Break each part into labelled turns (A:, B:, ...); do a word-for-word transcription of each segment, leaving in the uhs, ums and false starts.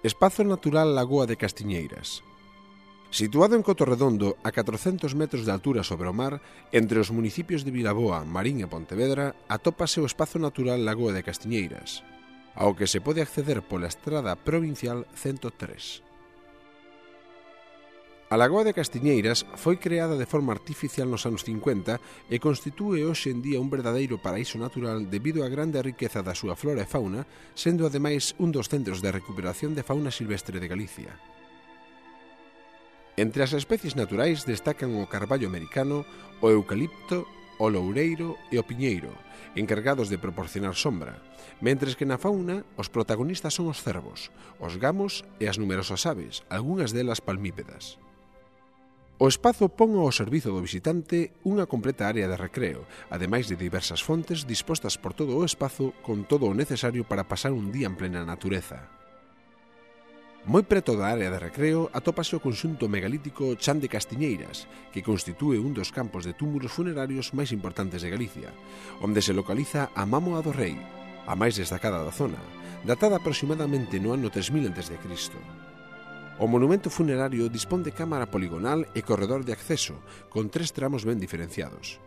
A: Espazo Natural Lagoa de Castiñeiras. Situado en Cotorredondo, a catrocentos metros de altura sobre o mar, entre os municipios de Vilaboa, Marín e Pontevedra, atópase o Espazo Natural Lagoa de Castiñeiras, ao que se pode acceder pola estrada provincial ciento tres. A Lagoa de Castiñeiras foi creada de forma artificial nos anos cincuenta e constitúe hoxe en día un verdadeiro paraíso natural debido á grande riqueza da súa flora e fauna, sendo ademais un dos centros de recuperación de fauna silvestre de Galicia. Entre as especies naturais destacan o carballo americano, o eucalipto, o loureiro e o piñeiro, encargados de proporcionar sombra, mentres que na fauna os protagonistas son os cervos, os gamos e as numerosas aves, algunhas delas palmípedas. O espazo pon ao servizo do visitante unha completa área de recreo, ademais de diversas fontes dispostas por todo o espazo con todo o necesario para pasar un día en plena natureza. Moi preto da área de recreo atópase o conxunto megalítico Chan de Castiñeiras, que constitúe un dos campos de túmulos funerarios máis importantes de Galicia, onde se localiza a Mámoa do Rei, a máis destacada da zona, datada aproximadamente no ano tres mil antes de Cristo. O monumento funerario dispón de cámara poligonal e corredor de acceso, con tres tramos ben diferenciados.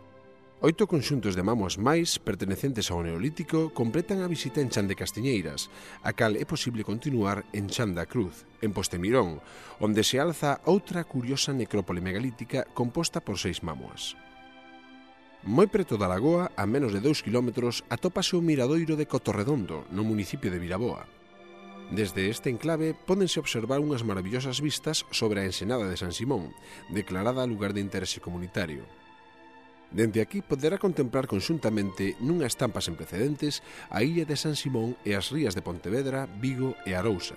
A: Oito conxuntos de mámoas máis, pertenecentes ao Neolítico, completan a visita en Chan de Castiñeiras, a cal é posible continuar en Chan da Cruz, en Postemirón, onde se alza outra curiosa necrópole megalítica composta por seis mámoas. Moi preto da lagoa, a menos de dous kilómetros, atópase o miradoiro de Cotorredondo, no municipio de Vilaboa. Desde este enclave pódense observar unhas maravillosas vistas sobre a ensenada de San Simón, declarada lugar de interese comunitario. Dende aquí poderá contemplar conxuntamente nunha estampa sen precedentes a illa de San Simón e as rías de Pontevedra, Vigo e Arousa.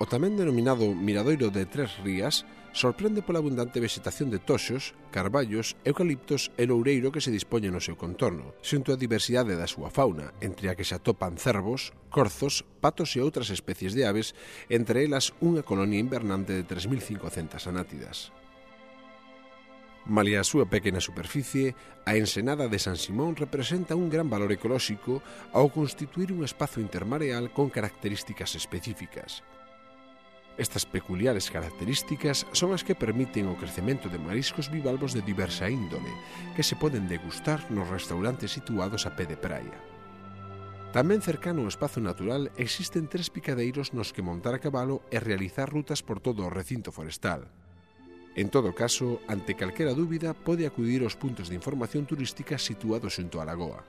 A: O tamén denominado Miradoiro de Tres Rías sorprende pola abundante vegetación de toxos, carballos, eucaliptos e loureiro que se dispoñen no seu contorno, xunto a diversidade da súa fauna, entre a que se atopan cervos, corzos, patos e outras especies de aves, entre elas unha colonia invernante de tres mil cincocentas anátidas. Malia a súa pequena superficie, a ensenada de San Simón representa un gran valor ecolóxico ao constituir un espazo intermareal con características específicas. Estas peculiares características son as que permiten o crecemento de mariscos bivalvos de diversa índole, que se poden degustar nos restaurantes situados a pé de praia. Tamén cercano ao espazo natural existen tres picadeiros nos que montar a cabalo e realizar rutas por todo o recinto forestal. En todo caso, ante calquera dúbida, pode acudir aos puntos de información turística situados xunto á lagoa.